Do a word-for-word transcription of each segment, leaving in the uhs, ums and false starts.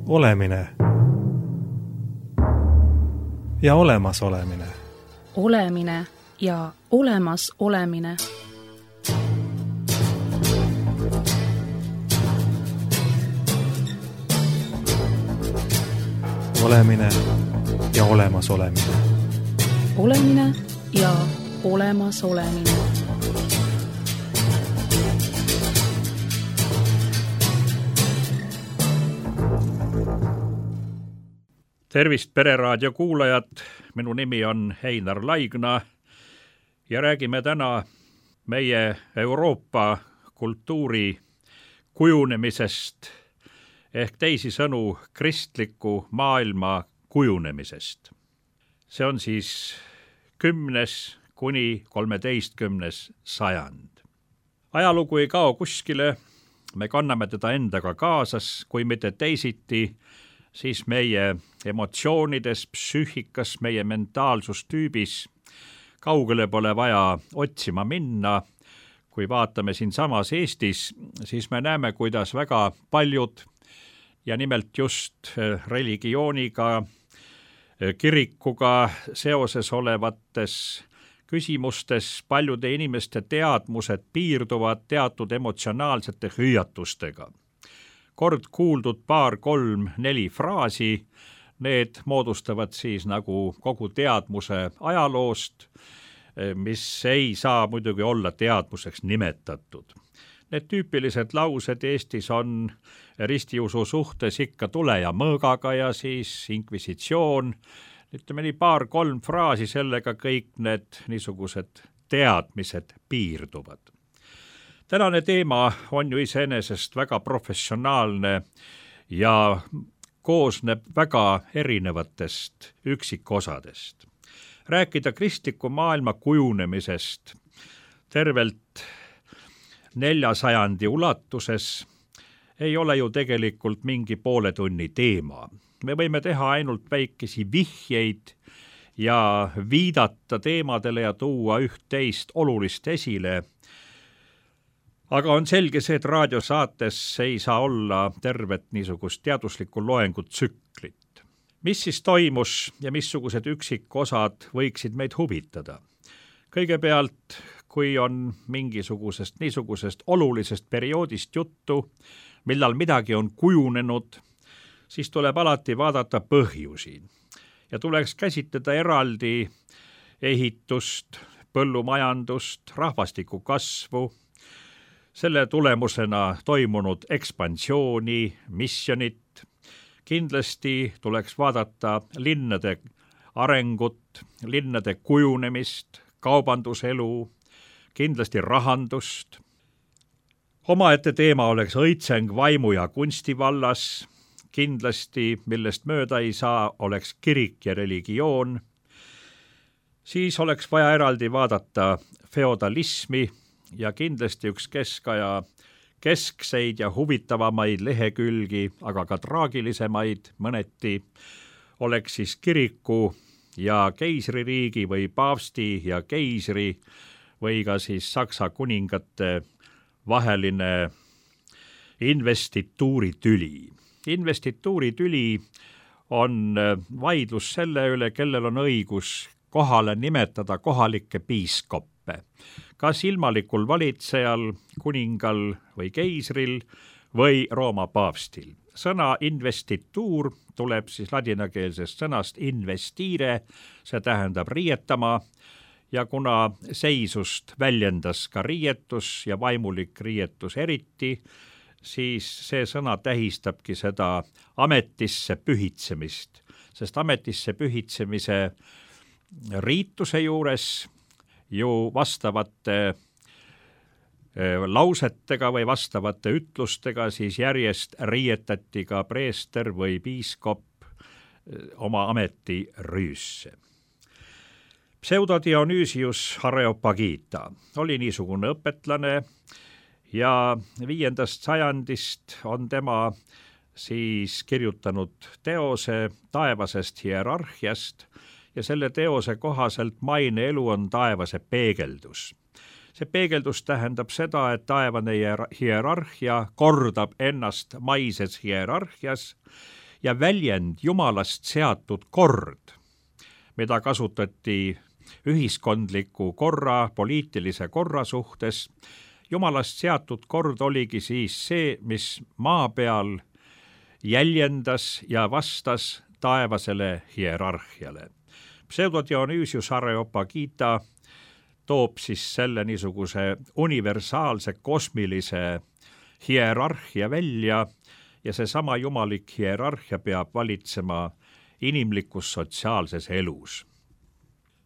Olemine ja olemas olemine. Olemine ja olemas olemine. Olemine ja olemas olemine. Olemine ja olemas olemine. Tervist Pereraadio kuulajad, minu nimi on Heinar Laigna ja räägime täna meie Euroopa kultuuri kujunemisest ehk teisisõnu kristliku maailma kujunemisest. See on siis kümnes kuni kolmeteistkümnes sajand. Ajalugu ei kao kuskile, me kanname teda endaga kaasas, kui mitte teisiti, siis meie emotsioonides, psüühikas, meie mentaalsustüübis kaugele pole vaja otsima minna. Kui vaatame siin samas Eestis, siis me näeme, kuidas väga paljud ja nimelt just religiooniga, kirikuga seoses olevates küsimustes paljude inimeste teadmused piirduvad teatud emotsionaalsete hüüatustega. Kord kuuldud paar, kolm, neli fraasi, need moodustavad siis nagu kogu teadmuse ajaloost, mis ei saa muidugi olla teadmuseks nimetatud. Need tüüpilised laused Eestis on ristiusu suhtes ikka tule ja mõõgaga ja siis inkvisitsioon. Ütleme nii paar, kolm fraasi, sellega kõik need niisugused teadmised piirduvad. Tänane teema on ju iseenesest väga professionaalne ja koosneb väga erinevatest üksikosadest. Rääkida kristliku maailma kujunemisest tervelt nelja sajandi ulatuses ei ole ju tegelikult mingi poole tunni teema. Me võime teha ainult väikesi vihjeid ja viidata teemadele ja tuua üht-teist olulist esile. Aga on selge see, et raadiosaates ei saa olla tervet niisugust teaduslikku loengut tsüklit. Mis siis toimus ja missugused üksikosad võiksid meid huvitada? Kõigepealt, kui on mingisugusest niisugusest olulisest perioodist juttu, millal midagi on kujunenud, siis tuleb alati vaadata põhjusi. Ja tuleks käsitleda eraldi ehitust, põllumajandust, rahvastiku kasvu, selle tulemusena toimunud ekspansiooni, missionit. Kindlasti tuleks vaadata linnade arengut, linnade kujunemist, kaubanduselu, kindlasti rahandust. Omaette teema oleks õitseng vaimu ja kunsti vallas. Kindlasti, millest mööda ei saa, oleks kirik ja religioon. Siis oleks vaja eraldi vaadata feodalismi ja kindlasti üks keskaja keskseid ja huvitavamaid lehekülgi, aga ka traagilisemaid mõneti, oleks siis kiriku ja keisririigi või paavsti ja keisri või ka siis Saksa kuningate vaheline investituuritüli. Investituuritüli on vaidlus selle üle, kellel on õigus kohale nimetada kohalikke piiskoppe. Kas ilmalikul valitsejal, kuningal või keisril või Rooma paavstil. Sõna investituur tuleb siis ladinakeelsest sõnast investire, see tähendab riietama, ja kuna seisust väljendas ka riietus ja vaimulik riietus eriti, siis see sõna tähistabki seda ametisse pühitsemist, sest ametisse pühitsemise riituse juures ju vastavate lausetega või vastavate ütlustega siis järjest riietati ka preester või piiskop oma ameti rüüsse. Pseudo-Dionüüsius Areopagita oli niisugune õpetlane ja viiendast sajandist on tema siis kirjutanud teose taevasest hierarhiast ja selle teose kohaselt maine elu on taevase peegeldus. See peegeldus tähendab seda, et taevane hierarhia kordab ennast maises hierarhias ja väljend jumalast seatud kord, mida kasutati ühiskondliku korra, poliitilise korra suhtes. Jumalast seatud kord oligi siis see, mis maa peal jäljendas ja vastas taevasele hierarhiale. Pseudo-Dionüüsius Areopagita toob siis selle niisuguse universaalse kosmilise hierarhia välja ja seesama jumalik hierarhia peab valitsema inimlikus sotsiaalses elus.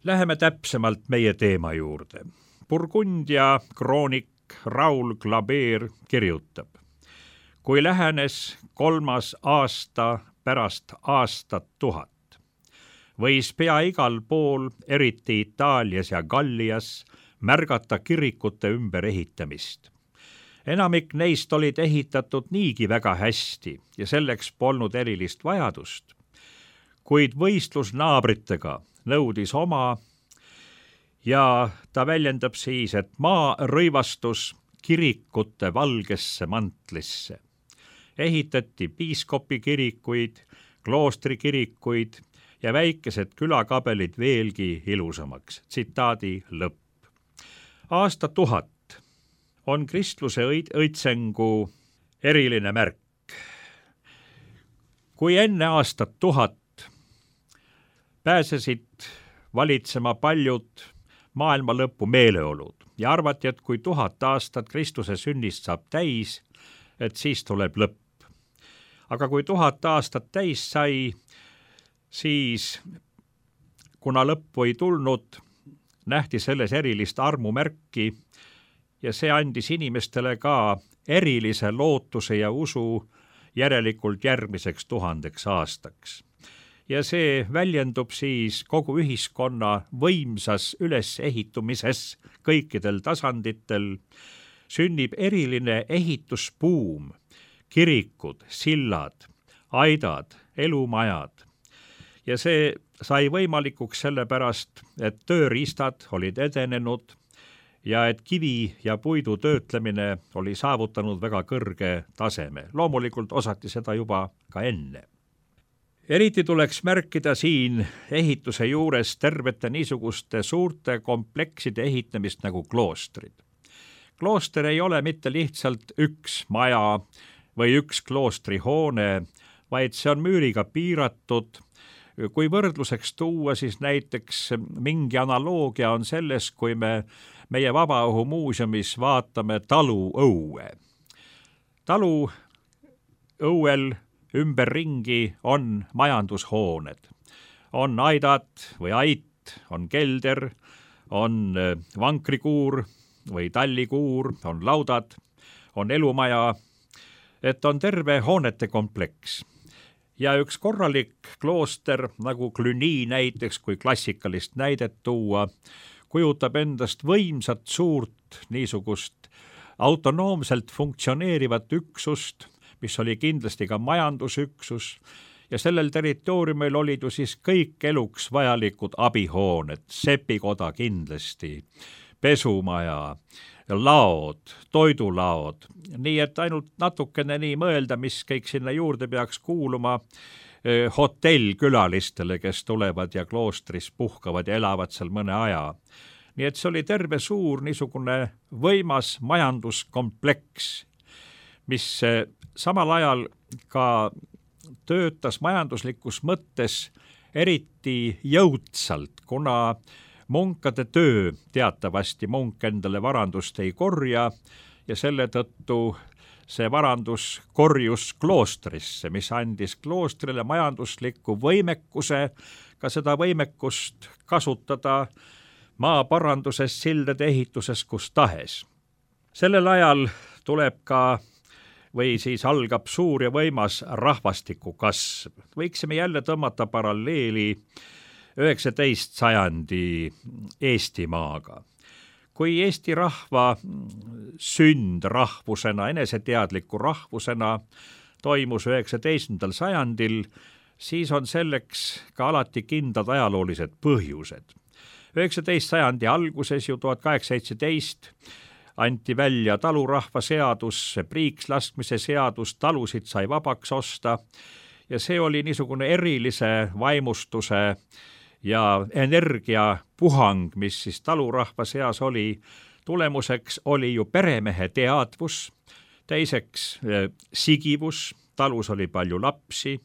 Läheme täpsemalt meie teema juurde. Burgundia kroonik Raoul Glaber kirjutab: kui lähenes kolmas aasta pärast aastat tuhat, võis pea igal pool, eriti Itaalias ja Gallias, märgata kirikute ümberehitamist. Enamik neist olid ehitatud niigi väga hästi ja selleks polnud erilist vajadust, kuid võistlus naabritega nõudis oma ja ta väljendab siis, et maa rõivastus kirikute valgesse mantlisse. Ehitati piiskopi kirikuid, kloostrikirikuid ja väikesed külakabelid veelgi ilusamaks. Tsitaadi lõpp. Aasta tuhat on kristluse õitsengu eriline märk. Kui enne aastat tuhat pääsesid valitsema paljud maailma lõpu meeleolud ja arvati, et kui tuhat aastat Kristuse sünnist saab täis, et siis tuleb lõpp. Aga kui tuhat aastat täis sai, siis kuna lõppu ei tulnud, nähti selles erilist armumärki ja see andis inimestele ka erilise lootuse ja usu järelikult järgmiseks tuhandeks aastaks. Ja see väljendub siis kogu ühiskonna võimsas ülesehitumises kõikidel tasanditel, sünnib eriline ehitusbuum, kirikud, sillad, aidad, elumajad. Ja see sai võimalikuks sellepärast, et tööriistad olid edenenud ja et kivi ja puidu töötlemine oli saavutanud väga kõrge taseme. Loomulikult osati seda juba ka enne. Eriti tuleks märkida siin ehituse juures tervete niisuguste suurte komplekside ehitamist nagu kloostrid. Klooster ei ole mitte lihtsalt üks maja või üks kloostrihoone, vaid see on müüriga piiratud. Kui võrdluseks tuua, siis näiteks mingi analoogia on selles, kui me meie Vabaõhumuuseumis vaatame talu õue. Talu õuel ümberringi on majandushooned. On aidad või ait, on kelder, on vankrikuur või tallikuur, on laudad, on elumaja, et on terve hoonete kompleks. Ja üks korralik klooster, nagu Cluny näiteks, kui klassikalist näidet tuua, kujutab endast võimsat suurt niisugust autonoomselt funktsioneerivat üksust, mis oli kindlasti ka majandusüksus, ja sellel territooriumil olid ju siis kõik eluks vajalikud abihooned, sepikoda kindlasti, pesumaja, laod, toidulaod, nii et ainult natukene nii mõelda, mis kõik sinna juurde peaks kuuluma, hotellkülalistele, kes tulevad ja kloostris puhkavad ja elavad seal mõne aja. Nii et see oli terve suur niisugune võimas majanduskompleks, mis samal ajal ka töötas majanduslikus mõttes eriti jõudsalt, kuna munkade töö teatavasti munk endale varandust ei korja ja selle tõttu see varandus korjus kloostrisse, mis andis kloostrile majandusliku võimekuse, ka seda võimekust kasutada maaparanduses, sildade ehituses, kus tahes. Sellel ajal tuleb ka või siis algab suur ja võimas rahvastiku kasv. Võiksime jälle tõmmata paralleeli üheksateist sajandi Eestimaaga. Kui Eesti rahva sünd rahvusena, eneseteadliku rahvusena toimus üheksateistkümnendal sajandil, siis on selleks ka alati kindlad ajaloolised põhjused. üheksateist sajandi alguses ju tuhat kaheksasada seitseteist anti välja talurahva seadus, priikslaskmise seadus, talusid sai vabaks osta ja see oli niisugune erilise vaimustuse ja energiapuhang, mis siis talurahva seas oli. Tulemuseks oli ju peremehe teadvus, teiseks sigivus, talus oli palju lapsi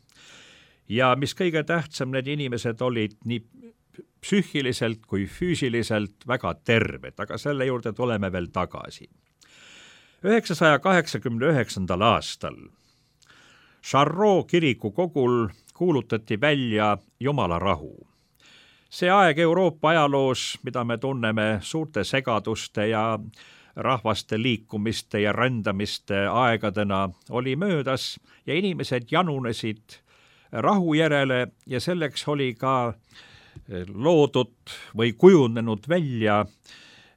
ja mis kõige tähtsam, need inimesed olid nii psüühiliselt kui füüsiliselt väga terved, aga selle juurde tuleme veel tagasi. üheksasaja kaheksakümne üheksandal aastal Charroux kiriku kogul kuulutati välja Jumala rahu. See aeg Euroopa ajaloos, mida me tunneme suurte segaduste ja rahvaste liikumiste ja rändamiste aegadena, oli möödas ja inimesed janunesid rahu järele ja selleks oli ka loodud või kujunenud välja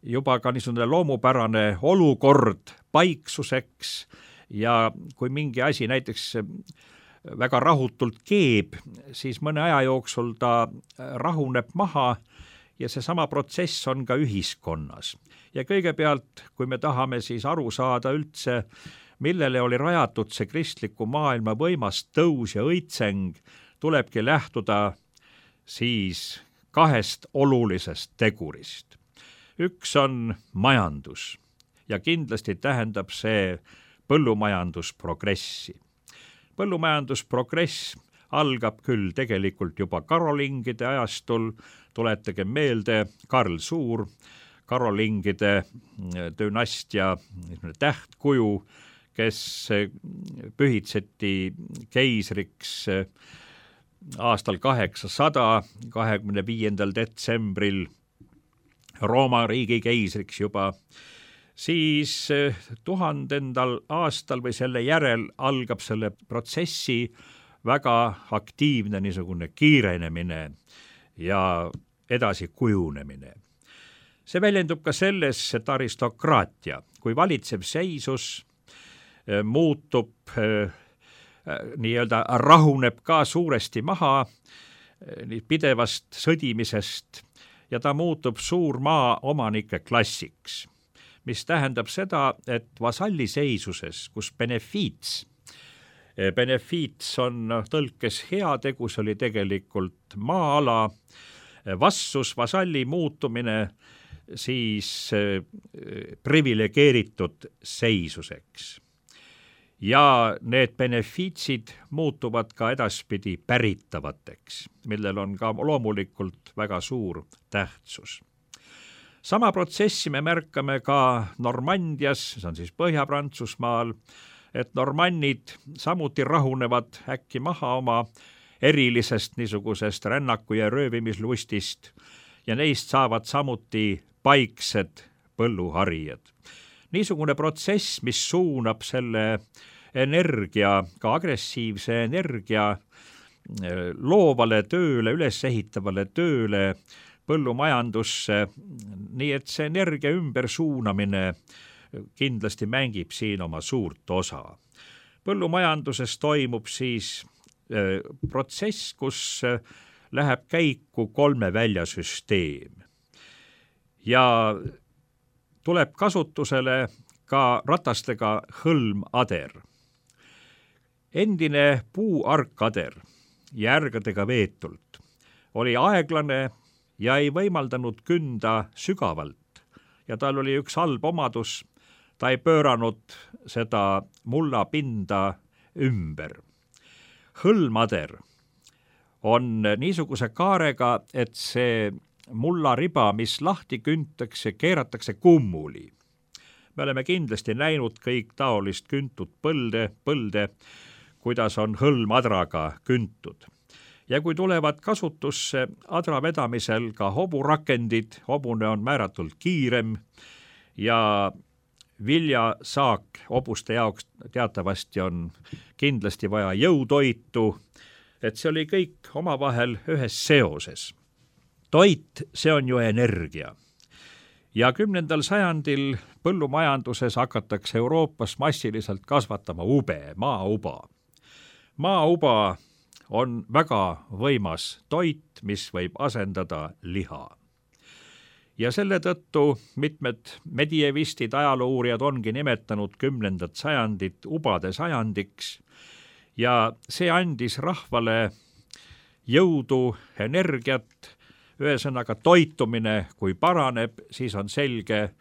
juba ka niisugune loomupärane olukord paiksuseks ja kui mingi asi näiteks väga rahutult keeb, siis mõne aja jooksul ta rahuneb maha ja seesama protsess on ka ühiskonnas. Ja kõigepealt, kui me tahame siis aru saada üldse, millele oli rajatud see kristliku maailma võimas tõus ja õitseng, tulebki lähtuda siis kahest olulisest tegurist. Üks on majandus ja kindlasti tähendab see põllumajandusprogressi. Põllumajandusprogress algab küll tegelikult juba karolingide ajastul, tuletage meelde Karl Suur, karolingide dünastia tähtkuju, kes pühitseti keisriks aastal kaheksasada, kahekümne viiendal detsembril Rooma riigi keisriks juba, siis tuhandendal aastal või selle järel algab selle protsessi väga aktiivne niisugune kiirenemine ja edasi kujunemine. See väljendub ka selles, et aristokraatia, kui valitsev seisus muutub, nii-öelda rahuneb ka suuresti maha pidevast sõdimisest ja ta muutub suur maaomanike klassiks, mis tähendab seda, et vasalli seisuses, kus benefiits, benefiits on tõlkes heategu, see oli tegelikult maa-ala, vastus vasalli muutumine siis privilegeeritud seisuseks. Ja need benefiitsid muutuvad ka edaspidi päritavateks, millel on ka loomulikult väga suur tähtsus. Sama protsessi me märkame ka Normandias, see on siis Põhja-Prantsusmaal, et normannid samuti rahunevad äkki maha oma erilisest niisugusest rännaku- ja röövimislustist ja neist saavad samuti paiksed põlluharijad. Niisugune protsess, mis suunab selle energia, ka agressiivse energia loovale tööle, ülesehitavale tööle, põllumajandusse, nii et see energia ümbersuunamine kindlasti mängib siin oma suurt osa. Põllumajanduses toimub siis protsess, kus läheb käiku kolme väljasüsteem ja tuleb kasutusele ka ratastega hõlmader. Endine puuarkader järgedega veetult oli aeglane ja ei võimaldanud künda sügavalt ja tal oli üks halb omadus, ta ei pööranud seda mullapinda ümber. Hõlmader on niisuguse kaarega, et see mullariba, mis lahti küntakse, keeratakse kummuli. Me oleme kindlasti näinud kõik taolist küntud põlde, põlde, kuidas on hõlmadraga küntud. Ja kui tulevad kasutusse adra vedamisel ka hoburakendid, hobune on määratult kiirem ja viljasaak hobuste jaoks teatavasti on kindlasti vaja jõutoitu, et see oli kõik omavahel ühes seoses. Toit, see on ju energia. Ja kümnendal sajandil põllumajanduses hakatakse Euroopas massiliselt kasvatama ube, maauba. Maauba on väga võimas toit, mis võib asendada liha. Ja selle tõttu mitmed medievistid, ajaloouurijad ongi nimetanud kümnendat sajandit ubade sajandiks ja see andis rahvale jõudu, energiat, ühesõnaga toitumine, kui paraneb, siis on selge,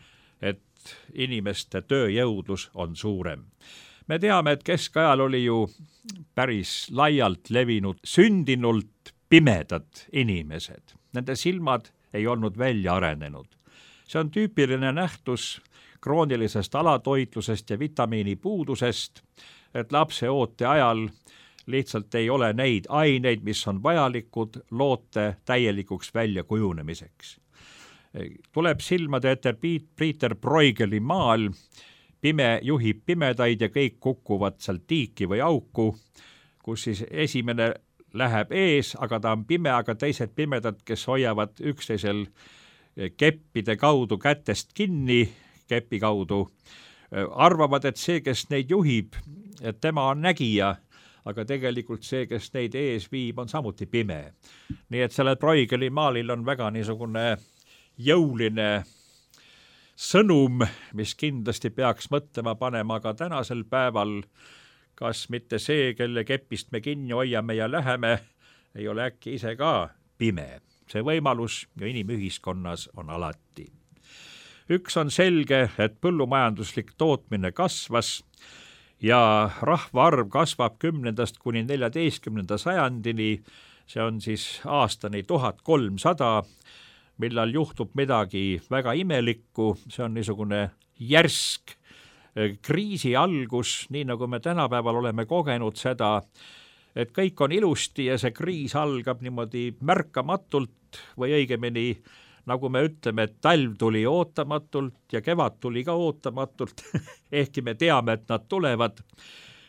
et inimeste tööjõudlus on suurem. Me teame, et keskajal oli ju päris laialt levinud sündinult pimedad inimesed. Nende silmad ei olnud välja arenenud. See on tüüpiline nähtus kroonilisest alatoitlusest ja vitamiinipuudusest, et lapse oote ajal lihtsalt ei ole neid aineid, mis on vajalikud loote täielikuks väljakujunemiseks. Tuleb silmade ette Peter Bruegeli maal, pime juhib pimedaid ja kõik kukuvad sealt tiiki või auku, kus siis esimene läheb ees, aga ta on pime, aga teised pimedad, kes hoiavad üksteisel keppide kaudu kätest kinni, kepi kaudu, arvavad, et see, kes neid juhib, et tema on nägija, aga tegelikult see, kes neid ees viib, on samuti pime. Nii et sellel Bruegeli maalil on väga niisugune jõuline sõnum, mis kindlasti peaks mõtlema panema ka tänasel päeval, kas mitte see, kelle kepist me kinni hoiame ja läheme, ei ole äkki ise ka pime. See võimalus ja inimühiskonnas on alati. Üks on selge, et põllumajanduslik tootmine kasvas ja rahvaarv kasvab kümnendast kuni neljateistkümnenda sajandini, see on siis aastani tuhat kolmsada, millal juhtub midagi väga imelikku, see on niisugune järsk kriisi algus, nii nagu me tänapäeval oleme kogenud seda, et kõik on ilusti ja see kriis algab niimoodi märkamatult või õigemini, nagu me ütleme, et talv tuli ootamatult ja kevad tuli ka ootamatult, ehkki me teame, et nad tulevad.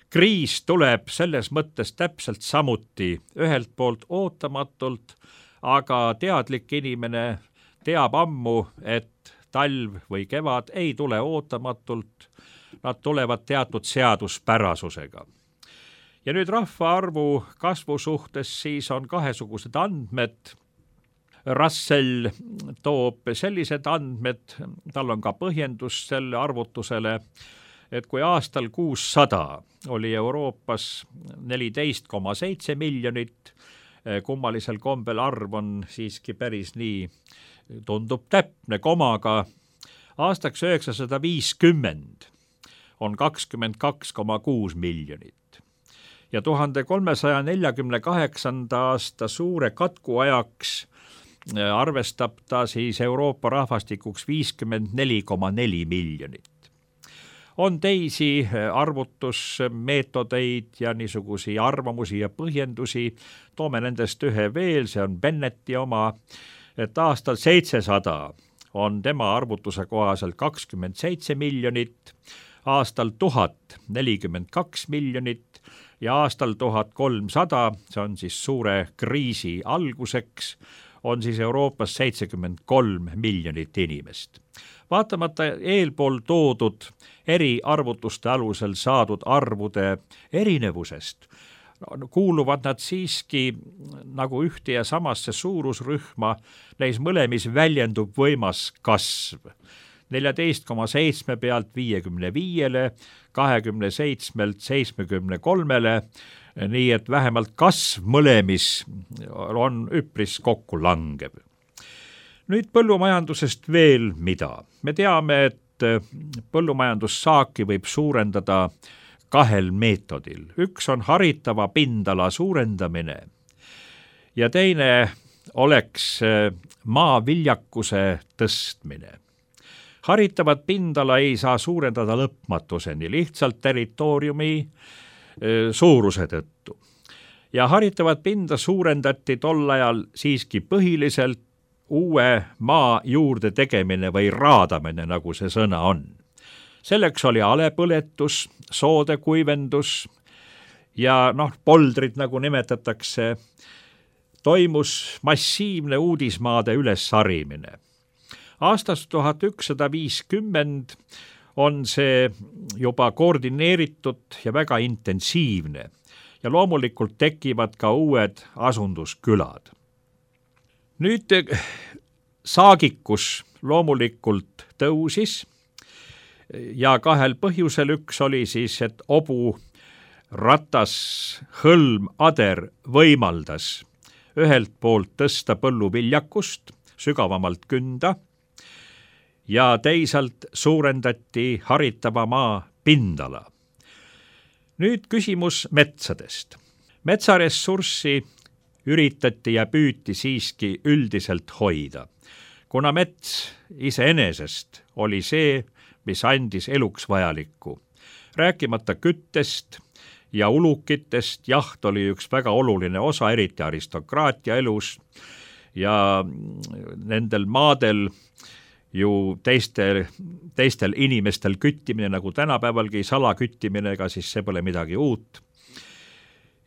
Kriis tuleb selles mõttes täpselt samuti, ühelt poolt ootamatult, aga teadlik inimene teab ammu, et talv või kevad ei tule ootamatult, nad tulevad teatud seaduspärasusega. Ja nüüd rahvaarvu kasvu suhtes siis on kahesugused andmed. Russell toob sellised andmed, tal on ka põhjendus selle arvutusele, et kui aastal kuussada oli Euroopas neliteist koma seitse miljonit, kummalisel kombel arv on siiski päris nii, tundub täpne komaga, aastaks üheksasada viiskümmend on kakskümmend kaks koma kuus miljonit. Ja tuhande kolmesaja neljakümne kaheksanda aasta suure katku ajaks arvestab ta siis Euroopa rahvastikuks viiskümmend neli koma neli miljonit. On teisi arvutusmeetodeid ja niisugusi arvamusi ja põhjendusi, toome nendest ühe veel, see on Bennetti oma, et aastal seitsesada on tema arvutuse kohaselt kakskümmend seitse miljonit, aastal tuhat nelikümmend kaks miljonit ja aastal tuhat kolmsada, see on siis suure kriisi alguseks, on siis Euroopas seitsekümmend kolm miljonit inimest. Vaatamata eelpool toodud eri arvutuste alusel saadud arvude erinevusest, kuuluvad nad siiski nagu ühte ja samasse suurusrühma, neis mõlemis väljendub võimas kasv. neljateist koma seitse pealt viiekümne viiele, kahekümne seitsmelt seitsmekümne kolmele, nii et vähemalt kasv mõlemis on üpris kokku langev. Nüüd põllumajandusest veel mida. Me teame, et põllumajandussaaki võib suurendada kahel meetodil. Üks on haritava pindala suurendamine ja teine oleks maa viljakuse tõstmine. Haritavat pindala ei saa suurendada lõpmatuseni, lihtsalt territooriumi suuruse tõttu. Ja haritavat pinda suurendati tol ajal siiski põhiliselt uue maa juurde tegemine või raadamine, nagu see sõna on. Selleks oli alepõletus, soode kuivendus ja noh, poldrid, nagu nimetatakse, toimus massiivne uudismaade ülessarimine. Aastast tuhat ükssada viiskümmend on see juba koordineeritud ja väga intensiivne ja loomulikult tekivad ka uued asunduskülad. Nüüd saagikus loomulikult tõusis ja kahel põhjusel. Üks oli siis, et obu ratas hõlm ader võimaldas ühelt poolt tõsta põlluviljakust, sügavamalt künda, ja teisalt suurendati haritava maa pindala. Nüüd küsimus metsadest. Metsaressurssi üritati ja püüti siiski üldiselt hoida, kuna mets iseenesest oli see, mis andis eluks vajalikku. Rääkimata küttest ja ulukitest, jaht oli üks väga oluline osa, eriti aristokraatia elus, ja nendel maadel ju teistel, teistel inimestel küttimine, nagu tänapäevalgi salaküttimine, ega siis see pole midagi uut.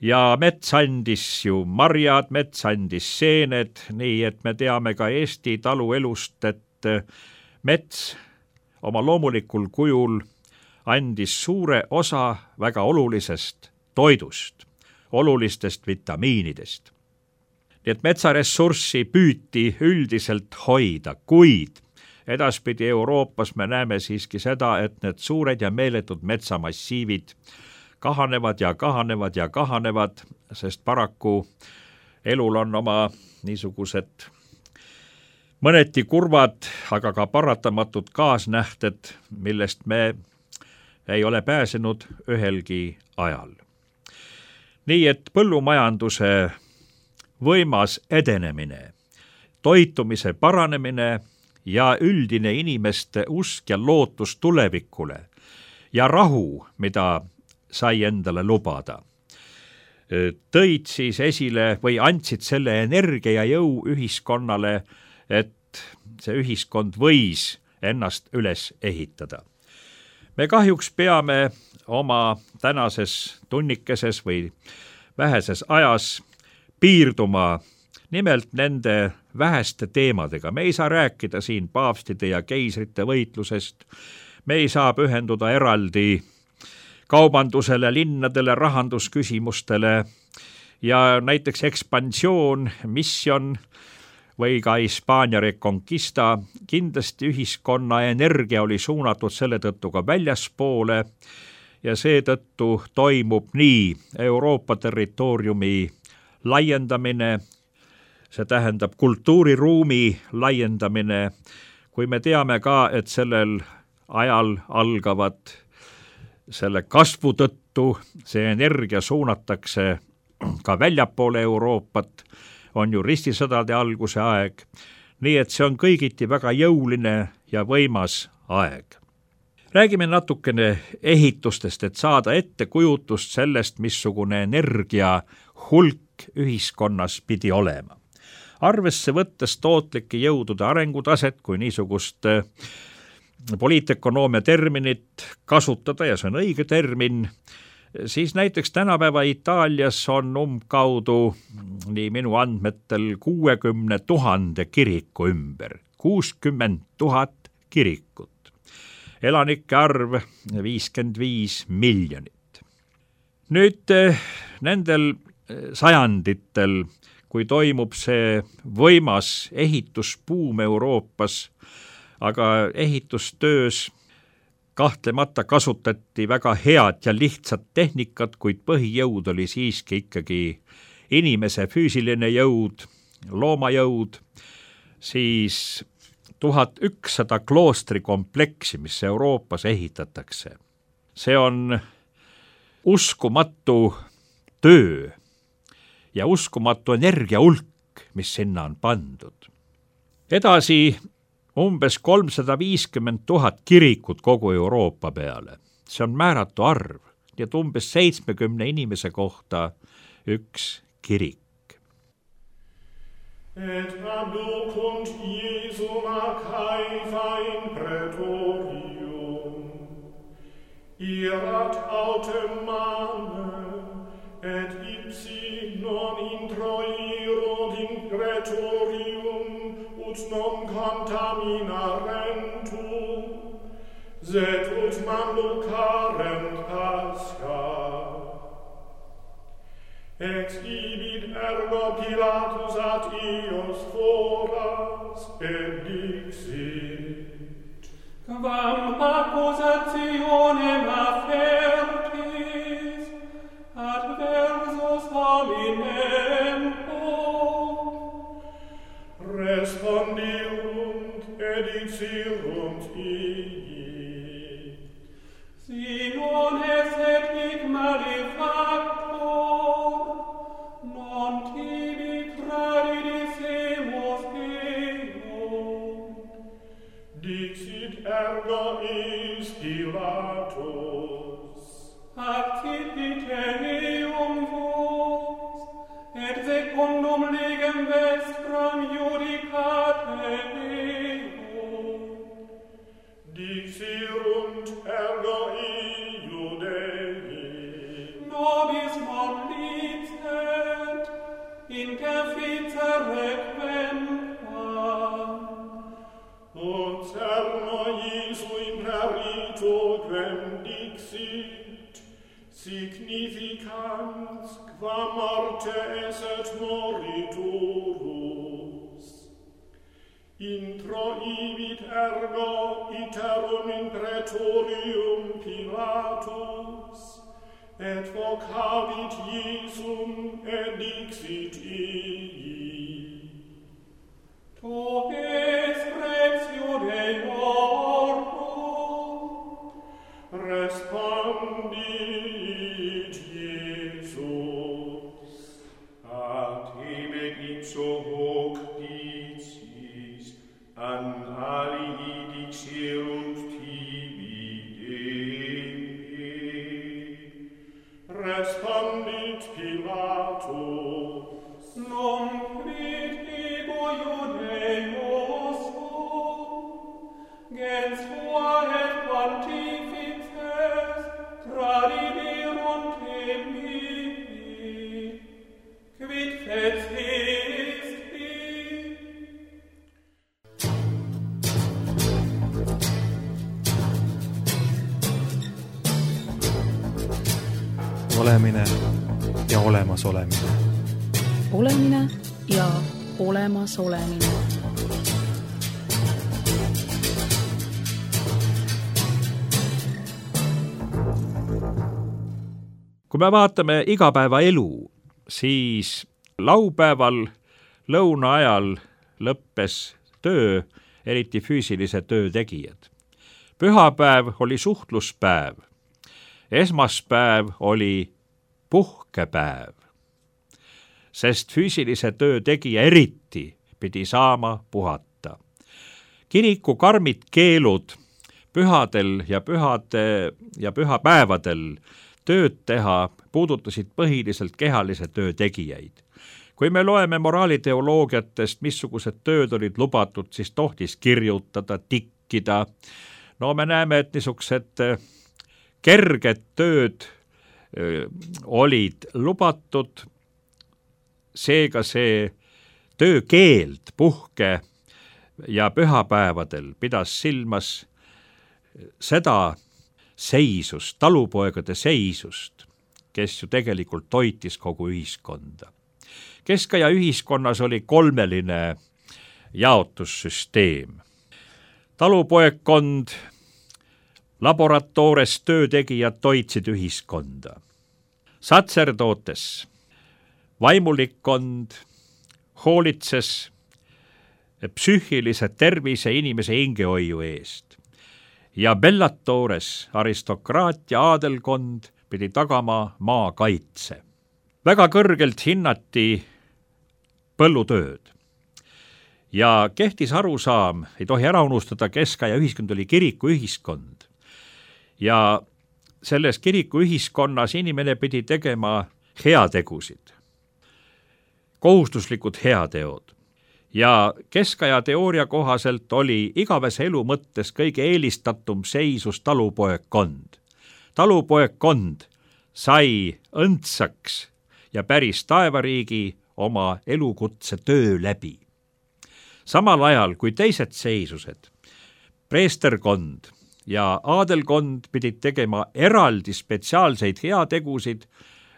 Ja mets andis ju marjad, mets andis seened, nii et me teame ka Eesti taluelust, et mets oma loomulikul kujul andis suure osa väga olulisest toidust, olulistest vitamiinidest. Nii et metsaressurssi püüti üldiselt hoida, kuid edaspidi Euroopas me näeme siiski seda, et need suured ja meeletud metsamassiivid kahanevad ja kahanevad ja kahanevad, sest paraku elul on oma niisugused mõneti kurvad, aga ka paratamatud kaasnähted, millest me ei ole pääsenud ühelgi ajal. Nii et põllumajanduse võimas edenemine, toitumise paranemine ja üldine inimeste usk ja lootus tulevikule ja rahu, mida sai endale lubada, tõid siis esile või andsid selle energia ja jõu ühiskonnale, et see ühiskond võis ennast üles ehitada. Me kahjuks peame oma tänases tunnikeses või väheses ajas piirduma nimelt nende väheste teemadega. Me ei saa rääkida siin paavstide ja keisrite võitlusest, me ei saa pühenduda eraldi kaubandusele, linnadele, rahandusküsimustele ja näiteks ekspansioon, missioon või ka Hispaania reconquista, kindlasti ühiskonna energia oli suunatud selle tõttu ka väljaspoole ja seetõttu toimub nii Euroopa territooriumi laiendamine, see tähendab kultuuriruumi laiendamine, kui me teame ka, et sellel ajal algavad selle kasvu tõttu, see energia suunatakse ka väljapoole Euroopat, on ju ristisõdade alguse aeg, nii et see on kõigiti väga jõuline ja võimas aeg. Räägime natukene ehitustest, et saada ettekujutust sellest, missugune energia hulk ühiskonnas pidi olema. Arvesse võttes tootlike jõudude arengutaset kui niisugust poliitökonoomia terminit kasutada, ja see on õige termin, siis näiteks tänapäeva Itaalias on umbkaudu, nii minu andmetel, kuuekümne tuhande kiriku ümber, kuuskümmend tuhat kirikut. Elanike arv viiskümmend viis miljonit. Nüüd nendel sajanditel, kui toimub see võimas ehitusbuum Euroopas, aga ehitustöös kahtlemata kasutati väga head ja lihtsat tehnikat, kuid põhijõud oli siiski ikkagi inimese füüsiline jõud, loomajõud, siis tuhat ükssada kloostrikompleksi, mis Euroopas ehitatakse. See on uskumatu töö ja uskumatu energia hulk, mis sinna on pandud. Edasi umbes kolmsada viiskümmend tuhat kirikut kogu Euroopa peale. See on määratu arv, nii et umbes seitsmekümne inimese kohta üks kirik. Et abducunt Iesum Arcaica in praetorium, irat autem mane, et ipsi non introirod in praetorium, ut non contaminarentur, sed ut manducarent pasca. Exhibit ergo Pilatus ad ios foras, et dixit: Quam accusationem afertis, dixirunt ii. Si non esset hic malefactor, non tibi tradidisemus eum. Dixit ergo is Pilatus. Accipite eum vos, et secundum legem vestram judicate eum. Dixirunt ergo ii Judei. Nobis non licet, interficere quemquam. Ut cerno Iesu imperito quem dixit, significans qua morte esset moriturus. Introibit ergo iterum in praetorium Pilatus, et vocavit Iesum et dixit ii. Tu es rex Iudeorum. Respondit Iesus, ad hebet ipso hoc dicis, an alii dixirunt tibi Dei. respondit Pilatus, Num quid ego Iudeos sum, gens tua et pontifices tradiderunt te mihi, quid fecisti? Olemine ja olemas olemine. Olemine ja olemas olemine. Kui me vaatame igapäevaelu, siis laupäeval lõuna ajal lõppes töö, eriti füüsilise töö tegijad. Pühapäev oli suhtluspäev. Esmaspäev oli puhkepäev, sest füüsilise töö tegija eriti pidi saama puhata. Kiriku karmid keelud pühadel ja pühade ja pühapäevadel tööd teha puudutasid põhiliselt kehalise töö tegijaid. Kui me loeme moraaliteoloogiatest, missugused tööd olid lubatud, siis tohtis kirjutada, tikkida. No me näeme, et niisugused kerged tööd olid lubatud, seega see töökeeld puhke ja pühapäevadel pidas silmas seda seisust, talupoegade seisust, kes ju tegelikult toitis kogu ühiskonda. Keskaja ühiskonnas oli kolmeline jaotussüsteem. Talupoegkond, laboratoores töötegijad toitsid ühiskonda. Satserdootes, vaimulikkond hoolitses psüühilise tervise inimese hingehoiu eest. Ja bellatoores aristokraatia aadelkond pidi tagama maakaitse. Väga kõrgelt hinnati põllutööd. Ja kehtis arusaam, ei tohi ära unustada, keskaja ühiskond oli kirikuühiskond. Ja selles kirikuühiskonnas inimene pidi tegema heategusid, kohustuslikud heateod. Ja keskaja teooria kohaselt oli igavese elu mõttes kõige eelistatum seisus talupoegkond. Talupoegkond sai õndsaks ja päris taevariigi oma elukutse töö läbi. Samal ajal kui teised seisused, preesterkond ja aadelkond pidid tegema eraldi spetsiaalseid heategusid,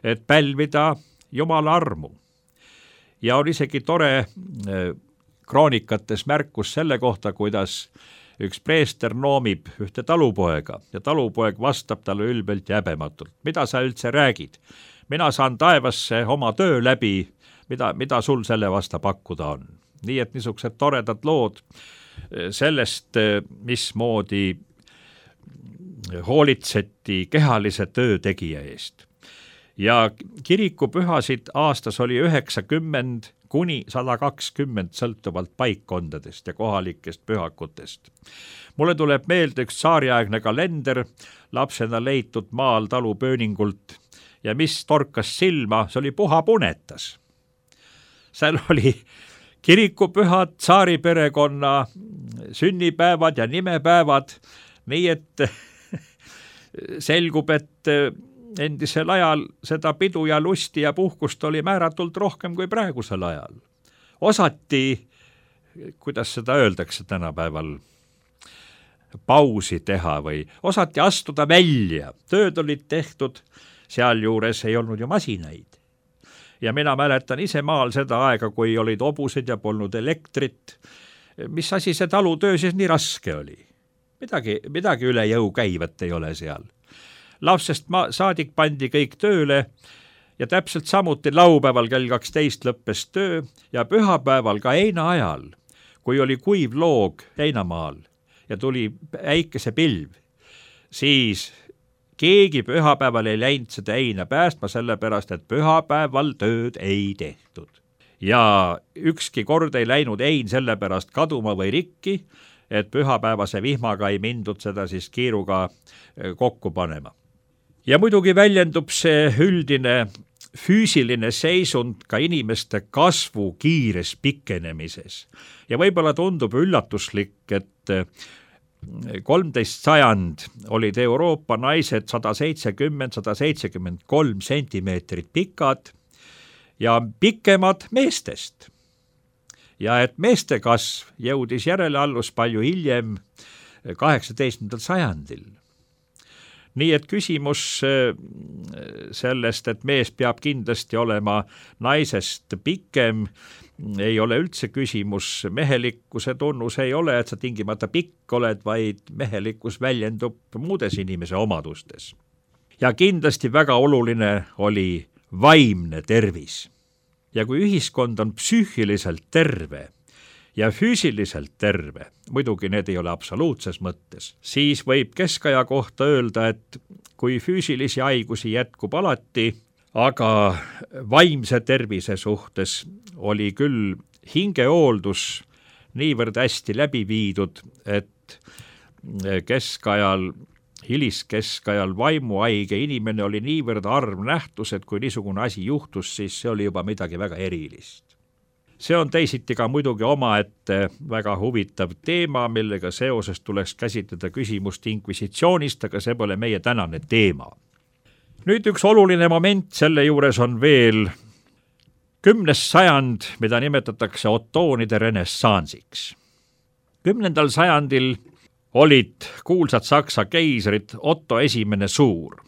et pälvida Jumala armu. Ja on isegi tore kroonikates märkus selle kohta, kuidas üks preester noomib ühte talupoega ja talupoeg vastab talle ülbelt ja häbematult. Mida sa üldse räägid? Mina saan taevasse oma töö läbi, mida, mida sul selle vasta pakkuda on. Nii et niisugused toredad lood sellest, mismoodi hoolitseti kehalise töö tegija eest. Ja kirikupühasid aastas oli üheksakümmend kuni sada kakskümmend sõltuvalt paikkondadest ja kohalikest pühakutest. Mulle tuleb meelde üks tsaariaegne kalender, lapsena leitud maal talupööningult ja mis torkas silma, see oli Puha Punetas. Seal oli kirikupühad, tsaariperekonna sünnipäevad ja nimepäevad, nii et selgub, et endisel ajal seda pidu ja lusti ja puhkust oli määratult rohkem kui praegusel ajal. Osati, kuidas seda öeldakse tänapäeval, pausi teha või osati astuda välja. Tööd olid tehtud, sealjuures ei olnud ju masinaid. Ja mina mäletan ise maal seda aega, kui olid hobused ja polnud elektrit. Mis asi see talutöö siis nii raske oli? Midagi, midagi üle jõu käivat ei ole seal. Lapsest ma, saadik pandi kõik tööle ja täpselt samuti laupäeval kell kaksteist lõppes töö ja pühapäeval ka heina ajal, kui oli kuiv loog heinamaal ja tuli äikese pilv, siis keegi pühapäeval ei läinud seda heina päästma, sellepärast, et pühapäeval tööd ei tehtud. Ja ükski kord ei läinud hein sellepärast kaduma või rikki, et pühapäevase vihmaga ei mindud seda siis kiiruga kokku panema. Ja muidugi väljendub see üldine füüsiline seisund ka inimeste kasvu kiires pikenemises. Ja võib-olla tundub üllatuslik, et kolmteist sajand olid Euroopa naised sada seitsekümmend, sada seitsekümmend kolm sentimeetrit pikad ja pikemad meestest. Ja et meeste kasv jõudis järeleallus palju hiljem kaheksateistkümnendal sajandil. Nii et küsimus sellest, et mees peab kindlasti olema naisest pikem, ei ole üldse küsimus. Mehelikkuse tunnus ei ole, et sa tingimata pikk oled, vaid mehelikkus väljendub muudes inimese omadustes. Ja kindlasti väga oluline oli vaimne tervis. Ja kui ühiskond on psüühiliselt terve ja füüsiliselt terve, muidugi need ei ole absoluutses mõttes, siis võib keskaja kohta öelda, et kui füüsilisi haigusi jätkub alati, aga vaimse tervise suhtes oli küll hingehooldus niivõrd hästi läbi viidud, et keskajal, hiliskeskajal vaimuhaige inimene oli niivõrd harv nähtus, et kui niisugune asi juhtus, siis see oli juba midagi väga erilist. See on teisiti ka muidugi omaette väga huvitav teema, millega seoses tuleks käsitleda küsimust inkvisitsioonist, aga see pole meie tänane teema. Nüüd üks oluline moment selle juures on veel kümnes sajand, mida nimetatakse otoonide renessansiks. Kümnendal sajandil olid kuulsad Saksa keisrid Otto esimene Suur.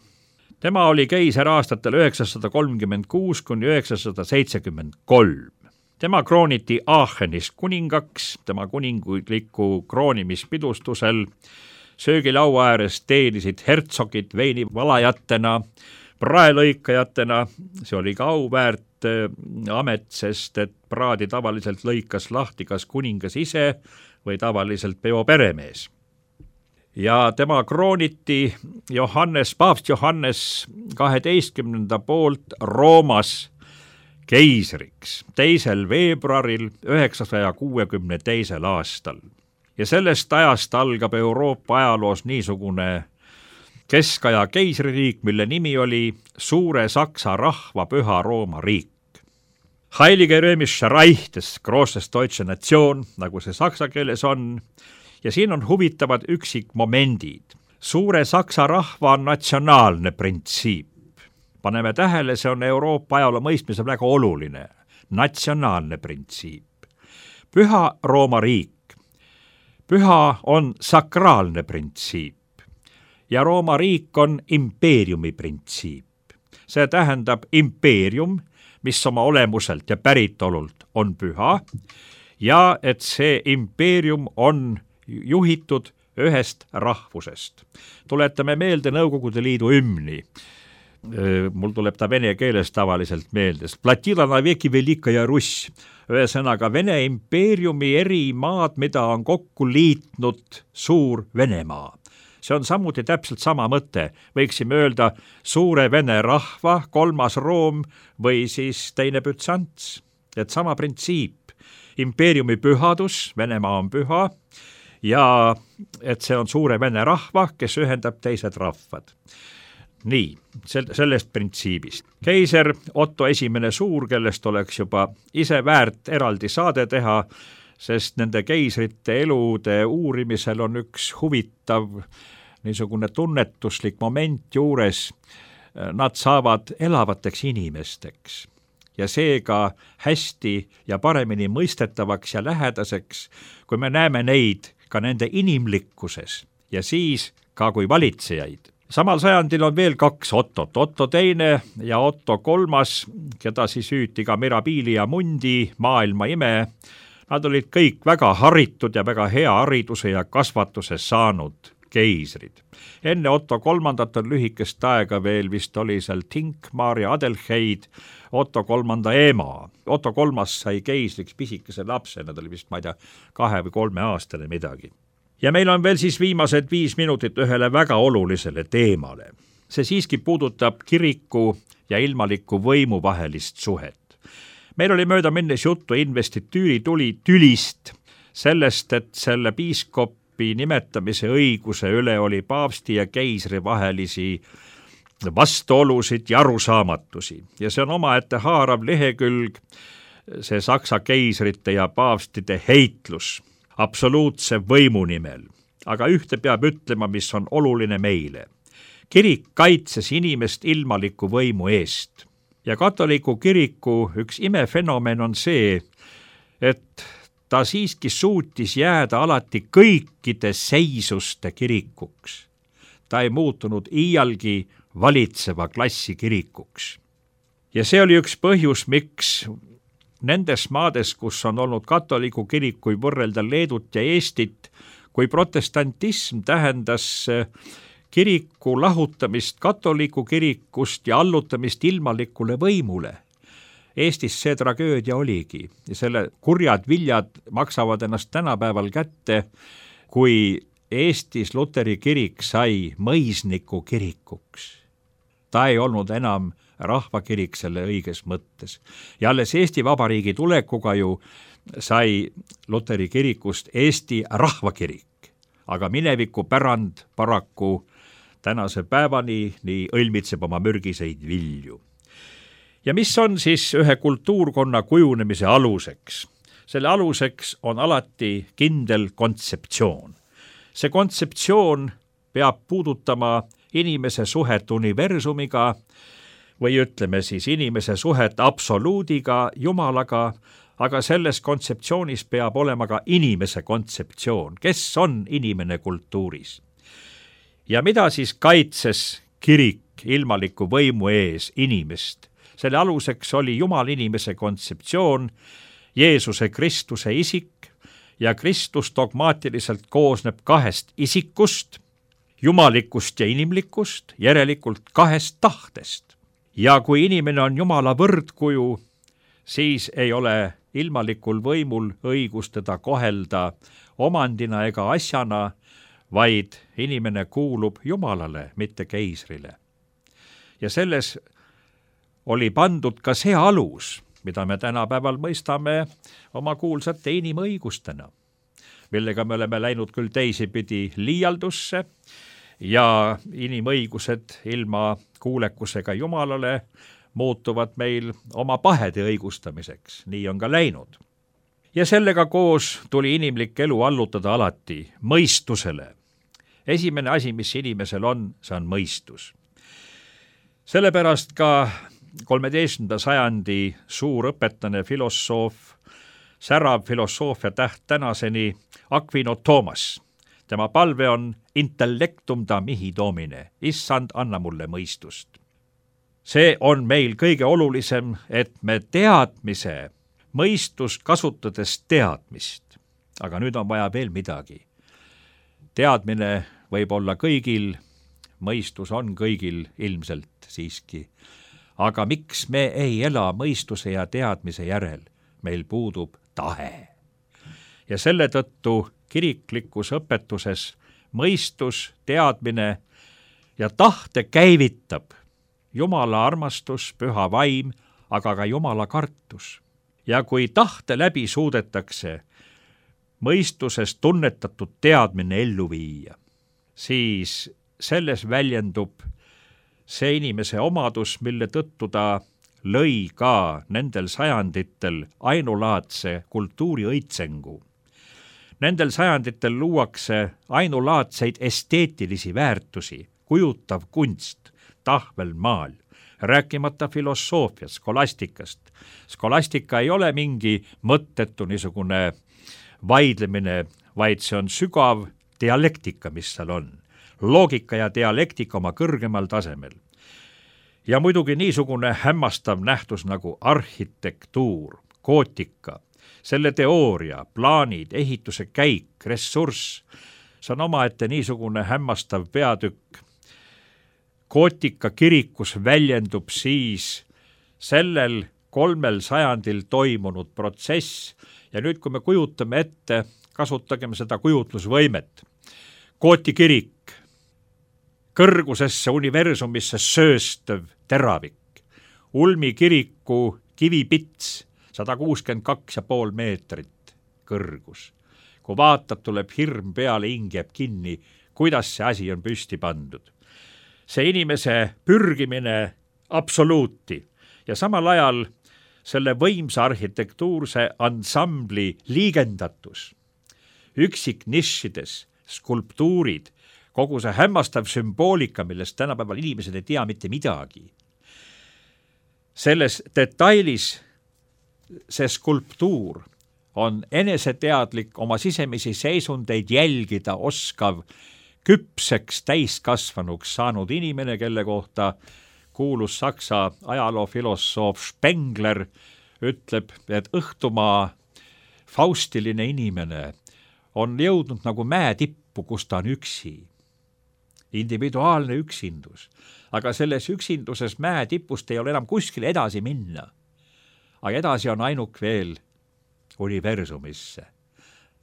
Tema oli keiser aastatel üheksasada kolmkümmend kuus kuni üheksasada seitsekümmend kolm. Tema krooniti Aachenis kuningaks, tema kuningliku kroonimispidustusel söögilaua ääres teenisid hertsogid veinivalajatena, praelõikajatena, see oli ka auväärt amet, sest et praadi tavaliselt lõikas lahti kas kuningas ise või tavaliselt peo peremees. Ja tema krooniti Johannes, paavst Johannes kaheteistkümnenda poolt Roomas keisriks teisel veebruaril üheksasaja kuuekümne teisel aastal. Ja sellest ajast algab Euroopa ajaloos niisugune keskaja keisririik, mille nimi oli Suure Saksa rahva püha Rooma riik. Heilige Römische Reich des Grosses Deutsche Nation, nagu see saksa keeles on, ja siin on huvitavad üksikmomendid. Suure Saksa rahva on natsionaalne printsiip. Paneme tähele, see on Euroopa ajaloo mõistmise väga oluline, natsionaalne printsiip. Püha Rooma riik. Püha on sakraalne printsiip ja Rooma riik on impeeriumi printsiip. See tähendab impeerium, mis oma olemuselt ja päritolult on püha ja et see impeerium on juhitud ühest rahvusest. Tuletame meelde Nõukogude Liidu hümni. mul tuleb ta vene keeles tavaliselt meelde. Platila naveki velikaja Russ, ühesõnaga Vene impeeriumi eri maad, mida on kokku liitnud suur Venemaa. See on samuti täpselt sama mõte, võiksime öelda suure vene rahva, kolmas Room või siis teine Bütsants. Et sama printsiip, impeeriumi pühadus, Venemaa on püha, ja et see on suure vene rahva, kes ühendab teised rahvad. Nii, sellest printsiibist. Keiser Otto esimene Suur, kellest oleks juba ise väärt eraldi saade teha, sest nende keisrite elude uurimisel on üks huvitav niisugune tunnetuslik moment juures. Nad saavad elavateks inimesteks ja seega hästi ja paremini mõistetavaks ja lähedaseks, kui me näeme neid ka nende inimlikkuses ja siis ka kui valitsejaid. Samal sajandil on veel kaks Ottot, Otto teine ja Otto kolmas, keda siis hüüti ka Mirabili ja Mundi, maailma ime. Nad olid kõik väga haritud ja väga hea hariduse ja kasvatuse saanud keisrid. Enne Otto kolmandat on lühikest aega veel vist oli seal Tinkmar ja Adelheid, Otto kolmanda ema. Otto kolmas sai keisriks pisikese lapse, nad oli vist, ma ei tea, kahe või kolme aastane midagi. Ja meil on veel siis viimased viis minutit ühele väga olulisele teemale. See siiski puudutab kiriku ja ilmaliku võimu vahelist suhet. Meil oli mööda minnes juttu investitüüri tuli tülist, sellest, et selle piiskopi nimetamise õiguse üle oli paavsti ja keisri vahelisi vastuolusid ja arusaamatusi. Ja see on omaette haarav lehekülg, see Saksa keisrite ja paavstide heitlus absoluutse võimu nimel. Aga ühte peab ütlema, mis on oluline meile. Kirik kaitses inimest ilmaliku võimu eest. Ja katoliku kiriku üks imefenomen on see, et ta siiski suutis jääda alati kõikide seisuste kirikuks. Ta ei muutunud iialgi valitseva klassi kirikuks. Ja see oli üks põhjus, miks nendes maades, kus on olnud katoliku kirik, kui võrrelda Leedut ja Eestit, kui protestantism tähendas kiriku lahutamist katoliku kirikust ja allutamist ilmalikule võimule. Eestis see tragöödia oligi ja selle kurjad viljad maksavad ennast tänapäeval kätte, kui Eestis Luteri kirik sai mõisniku kirikuks. Ta ei olnud enam rahvakirik selle õiges mõttes. Ja alles Eesti Vabariigi tulekuga ju sai Luteri kirikust Eesti rahvakirik, aga mineviku pärand paraku tänase päevani nii õlmitseb oma mürgiseid vilju. Ja mis on siis ühe kultuurkonna kujunemise aluseks? Selle aluseks on alati kindel kontseptsioon. See kontseptsioon peab puudutama inimese suhet universumiga või ütleme siis inimese suhet absoluudiga, Jumalaga, aga selles kontseptsioonis peab olema ka inimese kontseptsioon. Kes on inimene kultuuris? Ja mida siis kaitses kirik ilmaliku võimu ees inimest? Selle aluseks oli Jumal inimese kontseptsioon, Jeesuse Kristuse isik ja Kristus dogmaatiliselt koosneb kahest isikust, jumalikust ja inimlikust, järelikult kahest tahtest. Ja kui inimene on Jumala võrdkuju, siis ei ole ilmalikul võimul õigus teda kohelda omandina ega asjana, vaid inimene kuulub Jumalale, mitte keisrile. Ja selles oli pandud ka see alus, mida me tänapäeval mõistame oma kuulsate inimõigustena, millega me oleme läinud küll teisipidi liialdusse ja inimõigused ilma kuulekusega Jumalale muutuvad meil oma pahede õigustamiseks. Nii on ka läinud. Ja sellega koos tuli inimlik elu allutada alati mõistusele. Esimene asi, mis inimesel on, see on mõistus. Sellepärast ka kolmeteistkümnenda sajandi suur õpetlane filosoof, särav filosoofia täht tänaseni Aquino Thomas. Tema palve on intellectum da mihi domine, issand, anna mulle mõistust. See on meil kõige olulisem, et me teadmise, mõistust kasutades teadmist. Aga nüüd on vaja veel midagi. Teadmine võib olla kõigil mõistus on kõigil ilmselt siiski. aga miks me ei ela mõistuse ja teadmise järel? Meil puudub tahe. Ja selle tõttu kiriklikus õpetuses mõistus, teadmine ja tahte käivitab Jumala armastus, püha vaim, aga ka Jumala kartus. Ja kui tahte läbi suudetakse mõistuses tunnetatud teadmine ellu viia, siis selles väljendub see inimese omadus, mille tõttu ta lõi ka nendel sajanditel ainulaadse kultuuri õitsengu. Nendel sajanditel luuakse ainulaadseid esteetilisi väärtusi, kujutav kunst, tahvelmaal, rääkimata filosoofiast, skolastikast. Skolastika ei ole mingi mõttetu niisugune vaidlemine, vaid see on sügav dialektika, mis seal on. Loogika ja dialektika oma kõrgemal tasemel. Ja muidugi niisugune hämmastav nähtus nagu arhitektuur, gootika, selle teooria, plaanid, ehituse käik, ressurss, see on omaette niisugune hämmastav peatükk. Gootika kirikus väljendub siis sellel kolmel sajandil toimunud protsess ja nüüd, kui me kujutame ette, kasutagem seda kujutlusvõimet. Gooti kirik, kõrgusesse universumisse sööstev teravik, Ulmi kiriku kivipits, sada kuuskümmend kaks ja pool meetrit kõrgus. Kui vaatad, tuleb hirm peale, hing jääb kinni, kuidas see asi on püsti pandud. See inimese pürgimine absoluuti ja samal ajal selle võimsa arhitektuurse ansambli liigendatus, üksik nišides, skulptuurid, kogu see hämmastav sümboolika, millest tänapäeval inimesed ei tea mitte midagi. Selles detailis see skulptuur on eneseteadlik, oma sisemisi seisundeid jälgida oskav, küpseks täiskasvanuks saanud inimene, kelle kohta kuulus saksa ajaloofilosoof Spengler ütleb, et õhtumaa faustiline inimene on jõudnud nagu mäe tippu, kus ta on üksi. Individuaalne üksindus. Aga selles üksinduses mäe tipust ei ole enam kuskil edasi minna. Aga edasi on ainuk veel universumisse,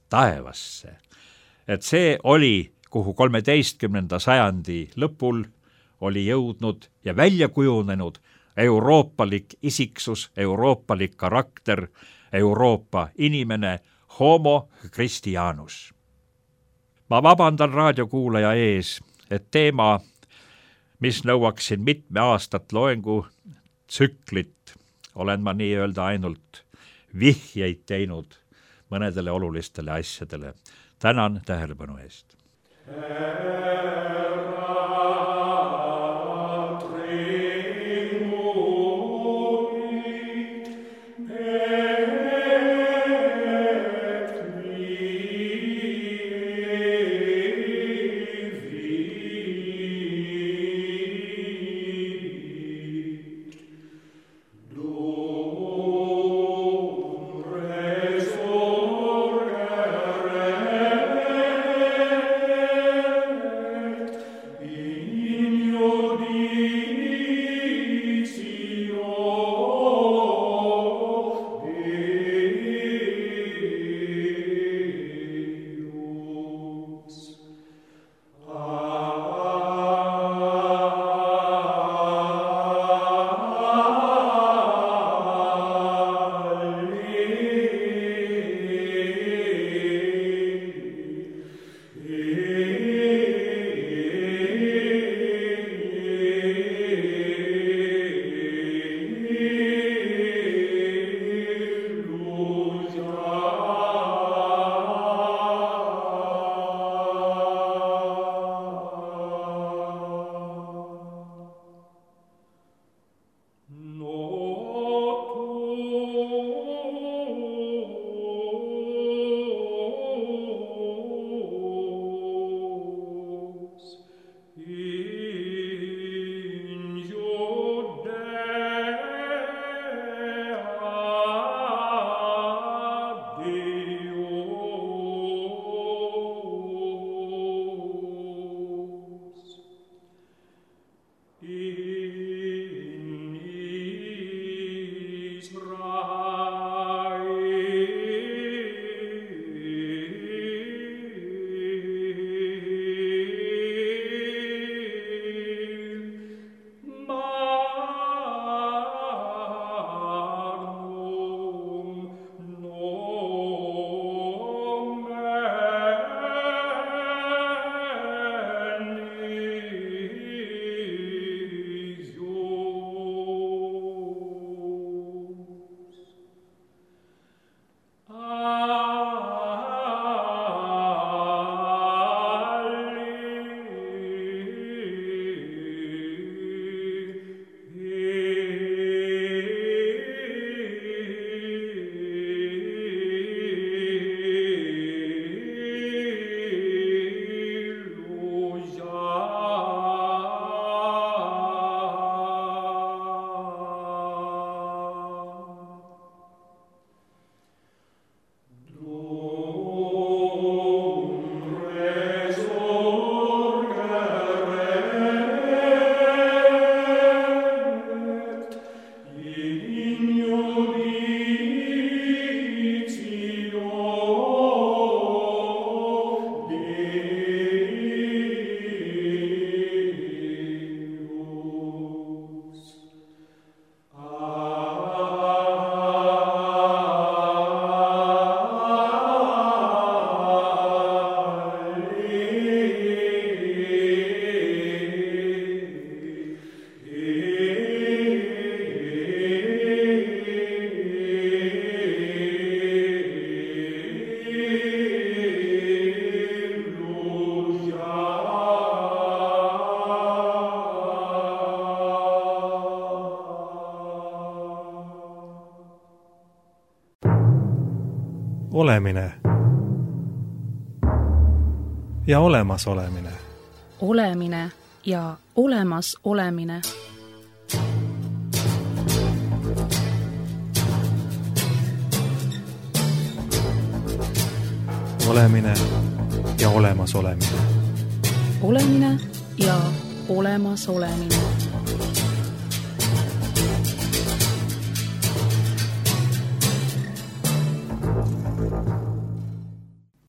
taevasse. Et see oli, kuhu kolmeteistkümnenda sajandi lõpul oli jõudnud ja välja kujunenud euroopalik isiksus, euroopalik karakter, Euroopa inimene, homo Christianus. Ma vabandan raadiokuulaja ees, et teema, mis nõuaksin mitme aastat loengu tsüklit, olen ma nii öelda ainult vihjeid teinud mõnedele olulistele asjadele. Tänan tähelepanu eest. Olemine ja olemasolemine. Olemine ja olemas olemine. Olemine ja olemas olemine. Olemine ja olemas olemine.